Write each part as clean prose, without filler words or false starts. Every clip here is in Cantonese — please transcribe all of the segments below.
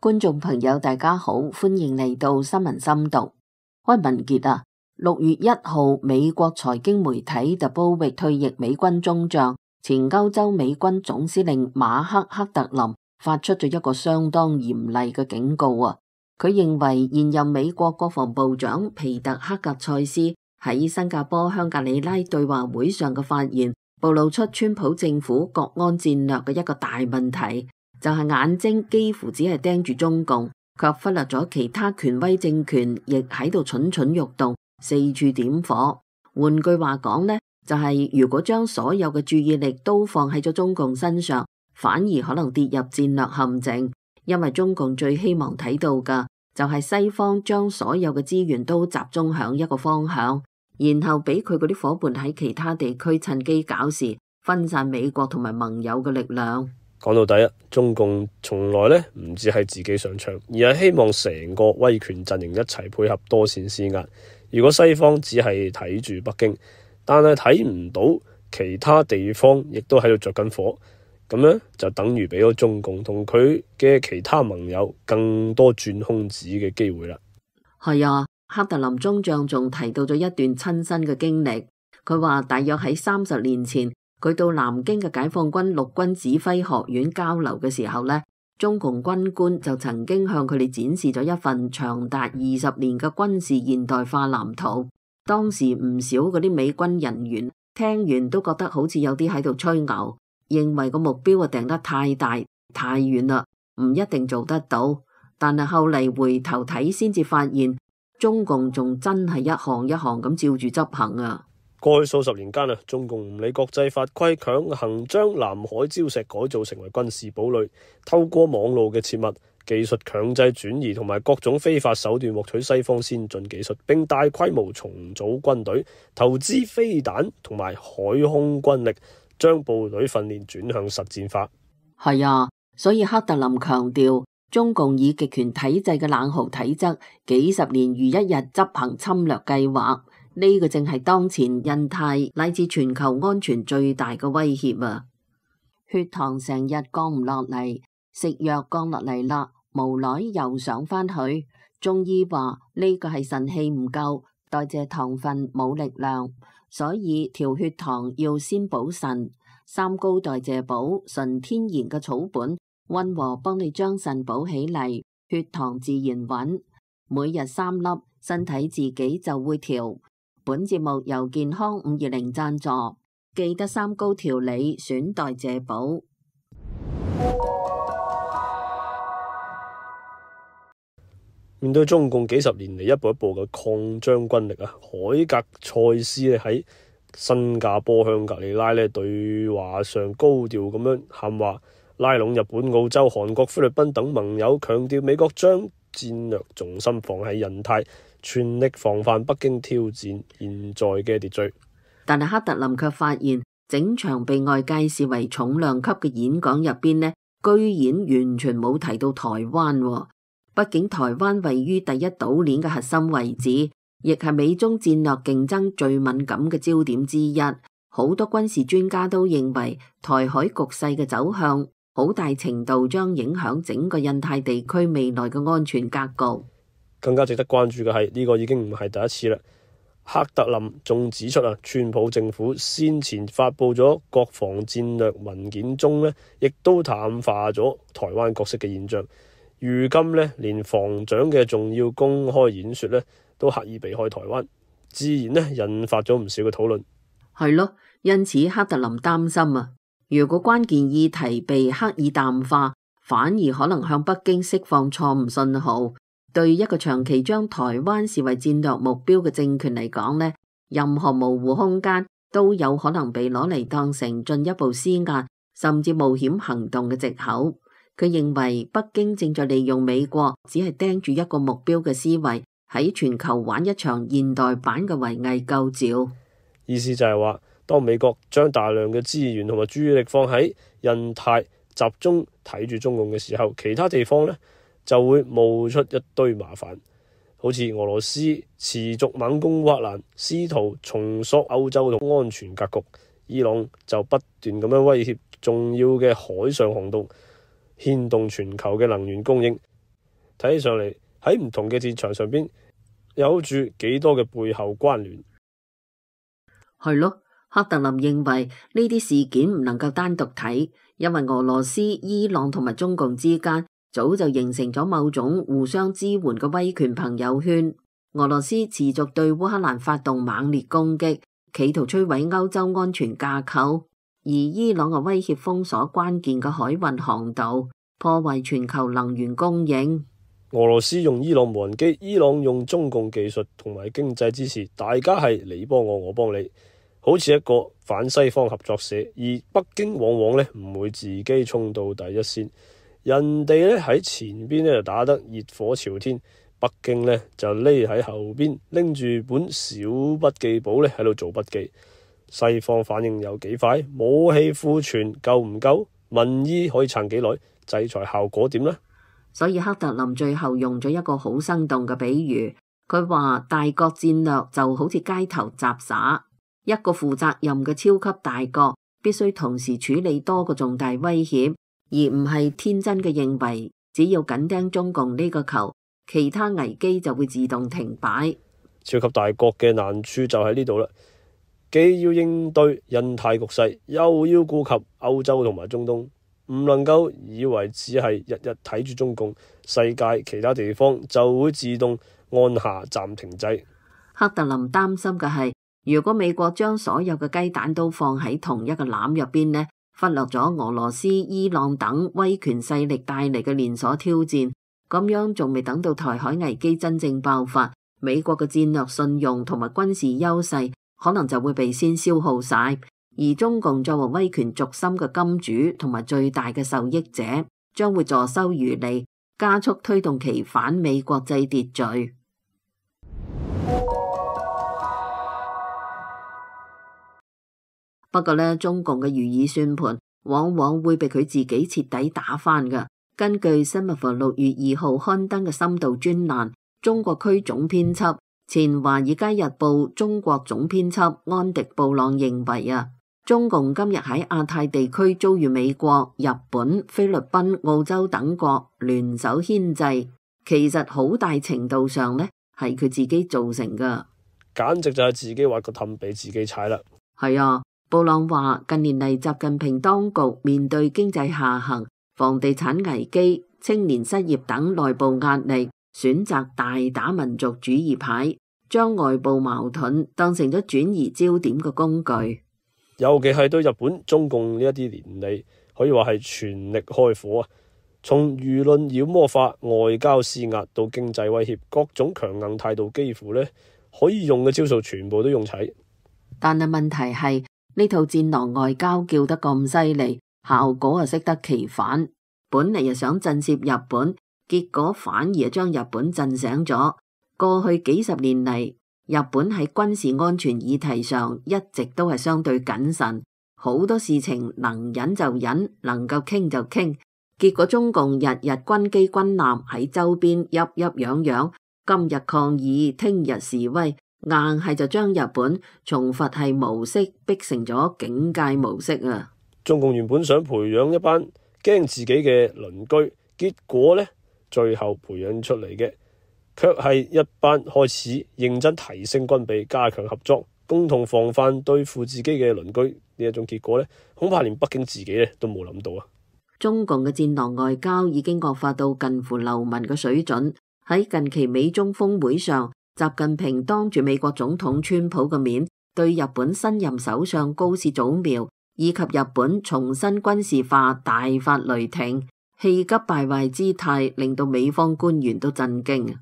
觀眾朋友大家好，歡迎嚟到新聞深讀。開文傑啊，6月1號，美國財經媒體 The Bull 退役美軍中將、前歐洲美軍總司令馬克·克特林發出咗一個相當嚴厲嘅警告啊！佢認為現任美國國防部長皮特·克格塞斯喺新加坡香格里拉對話會上嘅發言，暴露出川普政府國安戰略嘅一個大問題，就係眼睛幾乎只係盯住中共，卻忽略咗其他權威政權亦喺度蠢蠢欲動，四處點火。換句話講呢，就係如果將所有嘅注意力都放喺咗中共身上，反而可能跌入戰略陷阱，因為中共最希望睇到嘅就係西方將所有嘅資源都集中響一個方向，然後俾佢嗰啲夥伴喺其他地區趁機搞事，分散美國同埋盟友嘅力量。講到底啊，中共從來唔止係自己上場，而係希望成個威權陣營一齊配合多線施壓。如果西方只係睇住北京，但係睇唔到其他地方亦都喺度着緊火，咁就等於俾咗中共同佢嘅其他盟友更多鑽空子嘅機會啦。係啊，克特林中將仲提到咗一段親身嘅經歷，佢話大約喺30年前，佢到南京嘅解放軍陸軍指揮學院交流嘅時候呢，中共軍官就曾經向佢哋展示咗一份長達20年嘅軍事現代化藍圖。當時唔少嗰啲美軍人員聽完都覺得好似有啲喺度吹牛，認為個目標定得太大太遠啦，唔一定做得到。但係後嚟回頭睇先至發現，中共仲真係一項一項咁照住執行啊！過去數十年間中共唔理國際法規，強行將南海礁石改造成為軍事堡壘，透過網路嘅切密、技術強制轉移同埋各種非法手段獲取西方先進技術，並大規模重組軍隊，投資飛彈同埋海空軍力，將部隊訓練轉向實戰化。係啊，所以克特林強調，中共以極權體制嘅冷酷體質，幾十年如一日執行侵略計劃。呢個正係當前印太乃至全球安全最大嘅威脅啊！血糖成日降唔落嚟，食藥降落嚟啦，無奈又上返去。中醫話呢個係腎氣唔夠，代謝糖分冇力量，所以調血糖要先補腎。三高代謝補，純天然嘅草本，溫和幫你將腎補起嚟，血糖自然穩。每日3粒，身體自己就會調。本節目由健康520贊助，記得三高調理，選代謝補。面對中共幾十年嚟一步一步嘅擴張軍力啊，海格塞斯喺新加坡香格里拉對話上高調咁樣喊話，拉攏日本、澳洲、韓國、菲律賓等盟友，強調美國將戰略重心放喺印太，全力防範北京挑戰現在嘅秩序。但係克特林卻發現，整場被外界視為重量級嘅演講入邊呢，居然完全冇提到台灣喎。畢竟台灣位於第一島鏈嘅核心位置，亦係美中戰略競爭最敏感嘅焦點之一。好多軍事專家都認為，台海局勢嘅走向好大程度將影響整個印太地區未來嘅安全格局。更加值得關注嘅係，呢個已經唔係第一次啦。克特林仲指出川普政府先前發佈咗國防戰略文件中亦都淡化咗台灣角色嘅現象。如今連防長嘅重要公開演說都刻意避開台灣，自然引發咗唔少嘅討論。係咯，因此克特林擔心啊，如果關鍵議題被刻意淡化，反而可能向北京釋放錯誤信號。對一個長期將台灣視為戰略目標嘅政權嚟講呢，任何模糊空間都有可能被攞嚟當成進一步施壓甚至冒險行動嘅藉口。佢認為北京正在利用美國只係盯住一個目標嘅思維，喺全球玩一場現代版嘅圍魏救趙。意思就係話，當美國將大量嘅資源同埋注意力放喺印太，集中睇住中共嘅時候，其他地方就會冒出一堆麻煩，好似俄羅斯持續猛攻烏克蘭，試圖重塑歐洲嘅安全格局；伊朗就不斷咁樣威脅重要嘅海上航道，牽動全球嘅能源供應。睇起上嚟喺唔同嘅戰場上邊有住幾多嘅背後關聯。係咯，克特林認為呢啲事件唔能夠單獨睇，因為俄羅斯、伊朗同埋中共之間早就形成咗某種互相支援嘅威權朋友圈。俄羅斯持續對烏克蘭發動猛烈攻擊，企圖摧毀歐洲安全架構，而伊朗嘅威脅封鎖關鍵嘅海運航道，破壞全球能源供應。俄羅斯用伊朗無人機，伊朗用中共技術同埋經濟支持，大家係你幫我，我幫你，好似一個反西方合作社。而北京往往咧唔會自己衝到第一線，人哋咧喺前邊咧就打得熱火朝天，北京咧就匿喺後邊拎住本小筆記簿咧喺度做筆記。西方反應有幾快？武器庫存夠唔夠？民意可以撐幾耐？制裁效果點呢？所以克特林最後用咗一個好生動嘅比喻，佢話大國戰略就好似街頭雜耍，一個負責任嘅超級大國必須同時處理多個重大威脅，而唔係天真嘅認為只要緊盯中共呢個球，其他危機就會自動停擺。超級大國嘅難處就喺呢度啦，既要應對印太局勢，又要顧及歐洲同埋中東。唔能夠以為只係日日睇住中共，世界其他地方就會自動按下暫停掣。克特林擔心嘅係，如果美國將所有嘅雞蛋都放喺同一個籃入邊呢，忽略咗俄羅斯、伊朗等威權勢力帶嚟嘅連鎖挑戰，咁樣仲未等到台海危機真正爆發，美國嘅戰略信用同埋軍事優勢可能就會被先消耗晒。而中共作為威權軸心嘅金主同埋最大嘅受益者，將會坐收漁利，加速推動其反美國際秩序。不過呢，中共嘅如意算盤往往會被佢自己徹底打翻㗎。根據新聞部6月2號刊登嘅深度專欄，中國區總編輯、前華爾街日報中國總編輯安迪布朗認為中共今日喺亞太地區遭遇美國、日本、菲律賓、澳洲等國聯手牽制，其實好大程度上呢係佢自己造成㗎，簡直就係自己挖個氹俾自己踩啦。係啊，布朗話近年嚟習近平當局面對經濟下行、房地產危機、青年失業等內部壓力，選擇大打民族主義牌，將外部矛盾當成咗轉移焦點嘅工具。尤其係對日本、中共呢一啲年嚟，可以話係全力開火啊！從輿論妖魔化、外交施壓到經濟威脅，各種強硬態度，幾乎呢可以用嘅招數全部都用齊。但係問題係呢套戰狼外交叫得咁犀利，效果適得其反。本嚟又想震懾日本，結果反而將日本震醒咗。過去幾十年嚟，日本喺軍事安全議題上一直都係相對謹慎，好多事情能忍就忍，能夠傾就傾。結果中共日日軍機軍艦喺周邊鬱鬱攘攘，今日抗議，聽日示威，硬係就將日本從佛系模式逼成咗警戒模式啊！中共原本想培養一班驚自己嘅鄰居，結果呢，最後培養出嚟嘅卻係一班開始認真提升軍備、加強合作、共同防範對付自己嘅鄰居呢一種結果呢，恐怕連北京自己呢都冇諗到啊！中共嘅戰狼外交已經惡化到近乎流氓嘅水準。喺近期美中峰會上，習近平當住美國總統川普嘅面，對日本新任首相高市早苗以及日本重新軍事化大發雷霆，氣急敗壞姿態令到美方官員都震驚。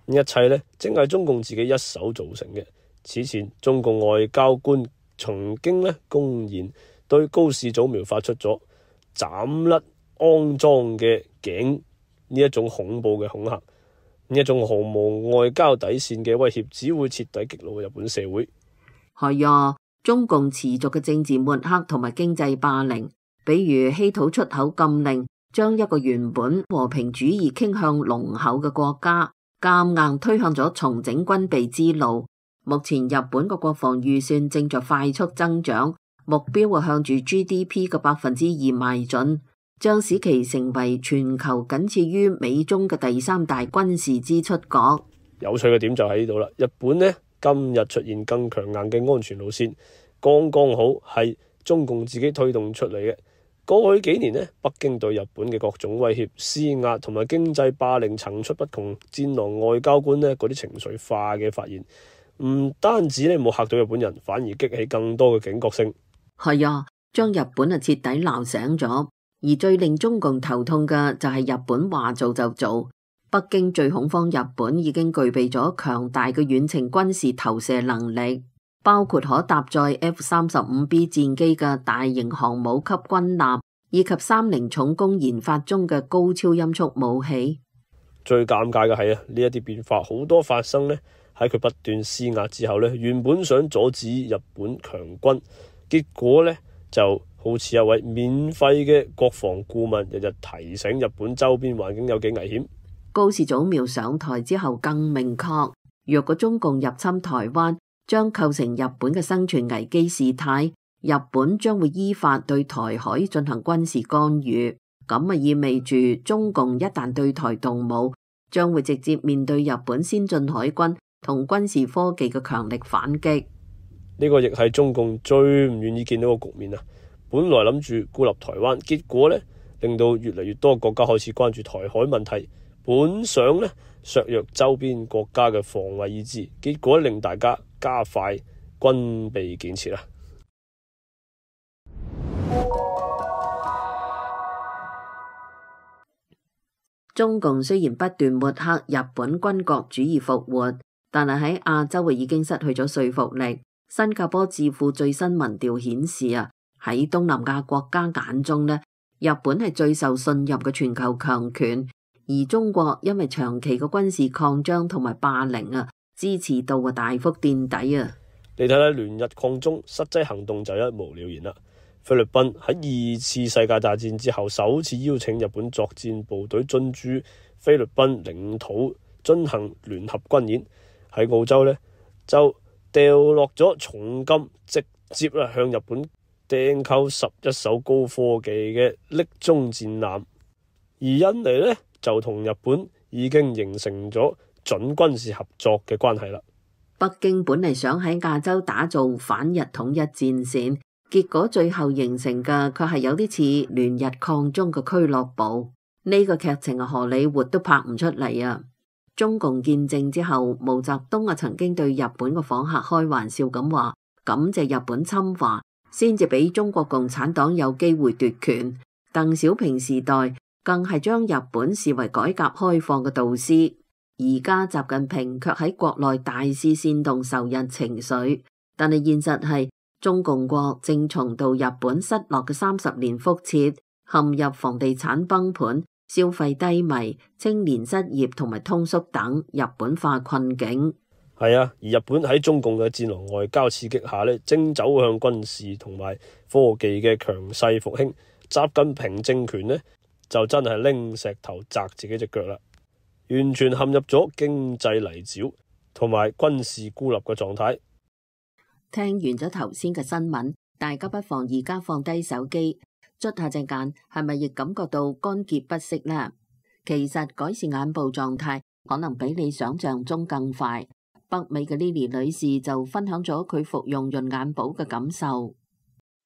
一切呢，正係中共自己一手造成嘅。此前，中共外交官曾經呢公然對高市早苗發出咗斬甩骯髒嘅頸呢一種恐怖嘅恐嚇，呢一種毫無外交底線嘅威脅，只會徹底激怒日本社會。係啊，中共持續嘅政治抹黑同埋經濟霸凌，比如稀土出口禁令，將一個原本和平主義傾向濃厚嘅國家，夾硬推向咗重整軍備之路。目前日本嘅國防預算正在快速增長，目標係向住 GDP 嘅2%邁進。將使其成為全球僅次於美中嘅第三大軍事支出國。有趣嘅點就喺呢度啦，日本呢今日出現更強硬嘅安全路線，剛剛好係中共自己推動出嚟嘅。過去幾年呢，北京對日本嘅各種威脅、施壓同埋經濟霸凌層出不窮，戰狼外交官呢嗰啲情緒化嘅發言，唔單止呢冇嚇到日本人，反而激起更多嘅警覺性。係啊，將日本徹底鬧醒咗。而最令中共頭痛嘅就係日本話做就做。北京最恐慌日本已經具備咗強大嘅遠程軍事投射能力，包括可搭載 F-35B 戰機嘅大型航母級軍艦，以及30重工研發中嘅高超音速武器。最尷尬嘅係呢一啲變化好多發生呢喺佢不斷施壓之後呢，原本想阻止日本強軍，結果呢就好似一位免費嘅國防顧問日日提醒日本周邊環境有幾危險。高市早苗上台之後更明確，若果中共入侵台灣，將構成日本嘅生存危機事態，日本將會依法對台海進行軍事干預。咁意味住中共一旦對台動武，將會直接面對日本先進海軍同軍事科技嘅強力反擊。呢個亦係中共最唔願意見到嘅局面啊！本來諗住孤立台灣，結果呢令到越嚟越多國家開始關注台海問題。本想呢削弱周邊國家嘅防衛意志，結果令大家加快軍備建設啊！中共雖然不斷抹黑日本軍國主義復活，但係喺亞洲已經失去咗說服力。新加坡智庫最新民調顯示喺東南亞國家眼中呢，日本係最受信任嘅全球強權。而中國因為長期嘅軍事擴張同埋霸凌支持度大幅墊底啊！你睇睇聯日抗中，實際行動就一目了然啦。菲律賓喺2次世界大戰之後，首次邀請日本作戰部隊進駐菲律賓領土進行聯合軍演。喺澳洲呢，就掉落咗重金，直接向日本訂購11艘高科技嘅匿蹤戰艦。而印尼呢，就同日本已經形成咗準軍事合作嘅關係啦。北京本嚟想喺亞洲打造反日統一戰線，結果最後形成嘅卻係有啲似聯日抗中嘅俱樂部。呢個劇情荷里活都拍唔出嚟啊！中共建政之後，毛澤東曾經對日本嘅訪客開玩笑咁話，感謝日本侵華，先至俾中國共產黨有機會奪權。鄧小平時代更係將日本視為改革開放嘅導師，而家習近平卻喺國內大肆煽動仇日情緒。但係現實係中共國正重蹈日本失落嘅30年覆轍，陷入房地產崩盤、消費低迷、青年失業同埋通縮等日本化困境。係啊，而日本喺中共嘅戰狼外交刺激下呢，正走向軍事同埋科技嘅強勢復興。習近平政權呢，就真係拎石頭砸自己隻腳啦，完全陷入咗經濟泥沼同埋軍事孤立嘅狀態。聽完咗頭先嘅新聞，大家不妨而家放低手機，捽下隻眼，係咪亦感覺到乾澀不適呢？其實改善眼部狀態可能比你想象中更快。北美嘅 Lily 女士就分享咗佢服用潤眼寶嘅感受。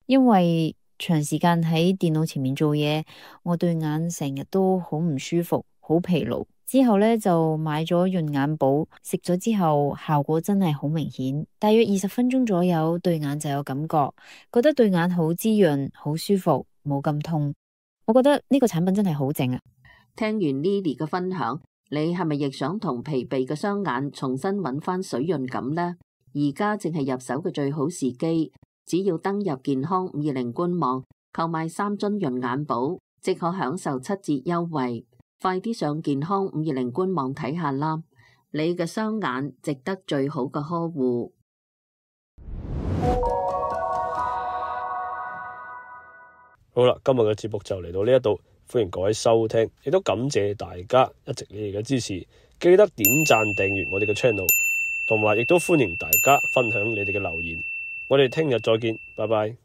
因為長時間喺電腦前面做嘢，我對眼成日都好唔舒服，好疲勞。之後呢，就買咗潤眼寶，食咗之後效果真係好明顯，大約20分鐘左右對眼就有感覺，覺得對眼好滋潤，好舒服，冇咁痛。我覺得呢個產品真係好正啊！聽完 Lily 嘅分享，你係咪亦想同疲憊嘅雙眼重新揾翻水潤感呢？而家正係入手嘅最好時機，只要登入健康520官網購買3樽潤眼寶，即可享受7折優惠。快啲上健康520官網睇下啦！你嘅雙眼值得最好嘅呵護。好啦，今日嘅節目就嚟到呢一度，歡迎各位收聽，亦都感謝大家一直你哋嘅支持，記得點讚訂閱我哋嘅 channel， 同埋亦都歡迎大家分享你哋嘅留言。我哋聽日再見，拜拜。